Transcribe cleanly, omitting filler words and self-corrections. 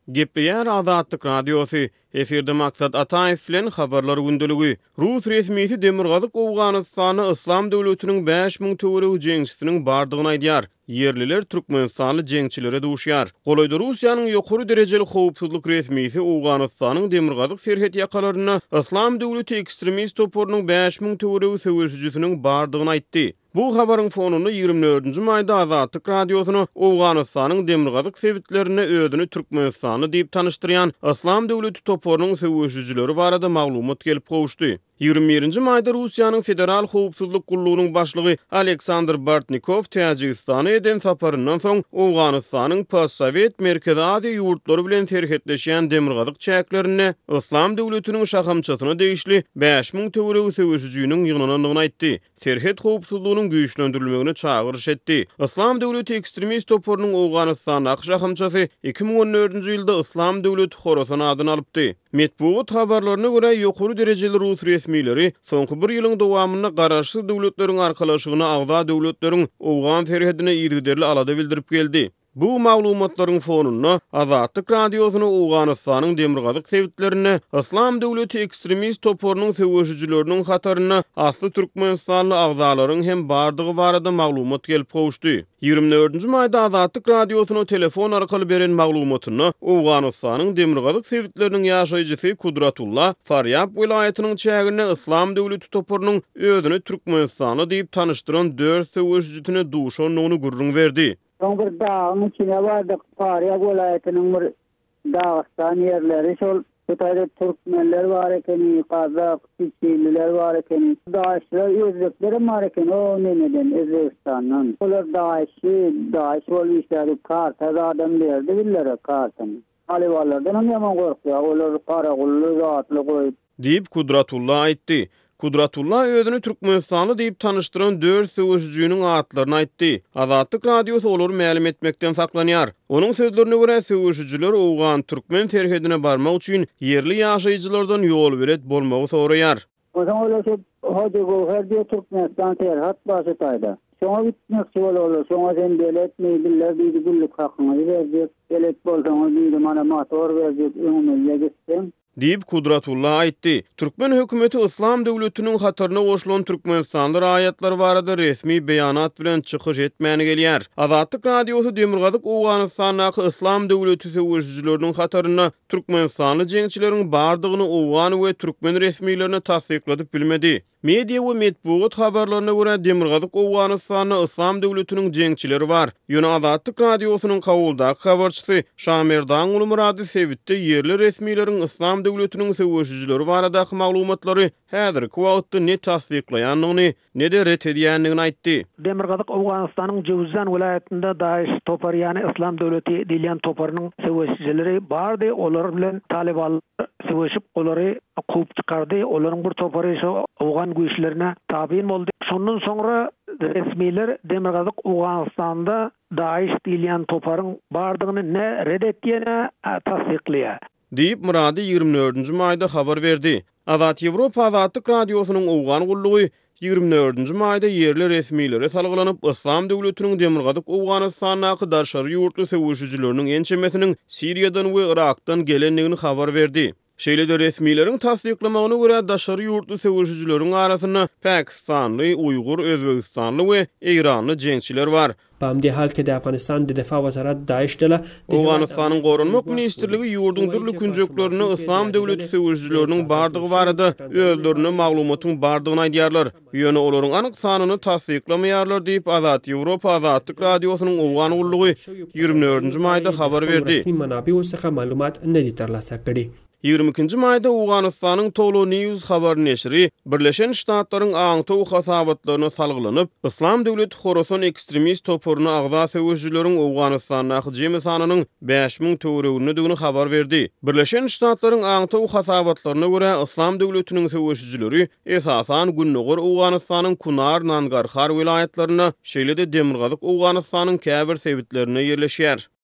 Gepleýär Azatlyk Radiosy, Efirde Maksat Ataýew bilen Habarlar gündeligi. Rus resmisi Demirgazyk Owganystanda Yslam döwletiniň 5000 töweregi jeňçisiniň bardygyny aýdýar. Ýerliler türkmenistanly jeňçilere duşýar. Golaýda Russiýanyň ýokary derejeli howpsuzlyk resmisi Owganystanyň demirgazyk serhet ýakalarynda Yslam döwleti ekstremist toparynyň 5000 töweregi söweşijisiniň bardygyny aýtdy. Bu habaryň fonunda ýigrimi dördünji maýda Azatlyk Radiosyna Owganystanyň demirgazyk sebitlerinde özüni türkmenistanly diýip tanyşdyrýan Yslam döwleti toparynyň söweşijileri barada maglumat gelip gowuşdy. Ýigrimi birinji maýda Russiýanyň Federal howpsuzlyk gullugynyň başlygy Aleksandr Bortnikow Täjigistana eden saparyndan soň Owganystanyň postsowet Merkezi Aziýa ýurtlary bilen serhetleşýän demirgazyk çäklerinde Yslam döwletiniň şahamçasyna degişli 5000 töweregi söweşijiniň ýygnanandygyny aýtdy. serhet howpsuzlygynyň güýçlendirilmegine çagyryş etdi. Yslam döwleti ekstremist toparynyň Owganystandaky şahamçasy 2014-nji ýylda Yslam döwleti Horasan adyny alypdy. Metbugat habarlaryna görä, ýokary derejeli rus resmileri soňky bir ýylyň dowamynda Garaşsyz Döwletleriň Arkalaşygyna agza döwletleriň owgan serhedine yzygiderli alada bildirip geldi. Bu maglumatlaryň fonunda, Azatlyk Radiosyna Owganystanyň demirgazyk sebitlerinde Yslam döwleti ekstremist toparynyň söweşijileriniň hatarynda asly türkmenistanly agzalaryň hem bardygy barada maglumat gelip gowuşdy. Ýigrimi dördünji maýda Azatlyk Radiosyna telefon arkaly beren maglumatynda Owganystanyň demirgazyk sebitleriniň ýaşaýjysy Kudratulla Farýab welaýatynyň çäginde Yslam döwleti toparynyň özüni türkmenistanly diýip tanyşdyran dört söweşijisine duşandygyny gürrüň berdi. Soň bir dagyň içine bardyk, Farýab welaýatynyň bir dagystan ýerleri şol. Bu taýda türkmenler bar ekeni, gazak, çiçililer bar ekeni. Daişçiler, özbeklerem bar ekeni o nemeden, Özbegistandan. Olar daişçi, daiş bolup işlädi, karta zadam berdi bizlere kartany. Talybanlardanam ýaman gorkýar, olar garagully zatly goýup. Diýip, Kudratulla aýtdy. Kudratulla özüni türkmenistanly diýip tanyşdyran dört söweşijiniň atlaryny aýtdy. Azatlyk Radiosy olary mälim etmekden saklanýar. Onuň sözlerine görä, söweşijiler owgan-türkmen serhedine barmak üçin ýerli ýaşaýjylardan ýolbelet bolmagy soraýar. Onsoň olar şo Hojagöwher diýe Türkmenistan serhat bar şu taýda. Şoňa gitmekçi bolarlar. Şoňa sen beletmi, bizler diýdi günlük hakyňyzy berjek. Belet bolsaňyz diýdi mana motor berjek öňümizde gitseň. Diýip, Kudratulla aýtdy. Türkmen hökümeti Yslam döwletiniň hataryna goşulan türkmenistanly raýatlar barada resmi beýanat bilen çykyş etmän gelýär. Azatlyk Radiosy Demirgazyk Owganystandaky Yslam döwleti söweşijileriniň hatarynda türkmenistanly jeňçileriň bardygyny owgan we türkmen resmilerine tassykladyp bilmedi. Media we metbugat habarlaryna görä, Demirgazyk Owganystanda Yslam döwletiniň jeňçileri bar. Ýöne Azatlyk Radiosynyň Kabuldaky habarçysy Şamerdan Gulmyrady sebitde ýerli resmileriň Yslam döwletiniň söweşijileri baradaky maglumatlary häzirki wagtda ne tassyklaýandygyny, ne-de ret edýändigini aýtdy. Demirgazyk Owganystanyň Jöwüzjan welaýatynda DAIŞ topary ýany Yslam döwleti diýilýän toparynyň söweşijileri bardy, olar bilen talybanlar söweşip olary kowup çykardy, olaryň bir topary şo owgan güýçlerine tabyn boldy. Şondan soňra resmiler Demirgazyk Owganystanda DAIŞ diýilýän toparyň bardygyny ne ret etýär ne tassyklaýar. Diýip, Myrady ýigrimi dördünji maýda habar berdi. Azat Ýewropa Azatlyk Radiosynyň Owgan gullugy ýigrimi dördünji maýda ýerli resmilere salgylanyp, Yslam döwletiniň Demirgazyk Owganystandaky daşary ýurtly söweşijileriniň ençemesiniň Siriýadan we Yrakdan gelendigini habar berdi. Şeýle-de resmileriň tassyklamagyna görä, daşary ýurtly söweşijileriň arasynda pakistanly, uýgur, özbegistanly we eýranly jeňçiler bar. په همدې حال کې د افغانستان د دفاع وزارت داعش ډله د هېواد Owganystanyň امنیت ته Goranmak ګواښ بولي ministrligi خو ýurduň وايي dürli چې په künjeklerinde شماسو کې د Yslam یادې döwleti ډلې söweşijileriniň د تازه bardygy جوړ شوي barada پټنځایونو په özlerinde اړه maglumatyň bardygyny aýdýarlar, ýöne olaryň anyk sanyny tassyklamaýarlar diýip, Azat Ýewropa Azatlyk Radiosynyň د Owgan تازه gullugy جوړ شویو ýigrimi پټنځایونو dördünji په اړه maýda یې د habar خپلو berdi. رسمي منابعو څخه معلومات نه دي ترلاسه کړي. Ýigrimi ikinji maýda Owganystanyň Tolo News habar neşiri Birleşen Ştatlaryň aňtaw hasabatlaryna salgylanyp, Yslam döwleti Horasan ekstremist toparyna agza söweşijileriň Owganystandaky jemi sanynyň 5000 töweregindedigini habar berdi. Birleşen Ştatlaryň aňtaw hasabatlaryna görä, Yslam döwletiniň söweşijileri esasan gündogar Owganystanyň Kunar, Nangarhar welaýatlarynda, şeýle-de demirgazyk Owganystanyň käbir sebitlerinde ýerleşýär.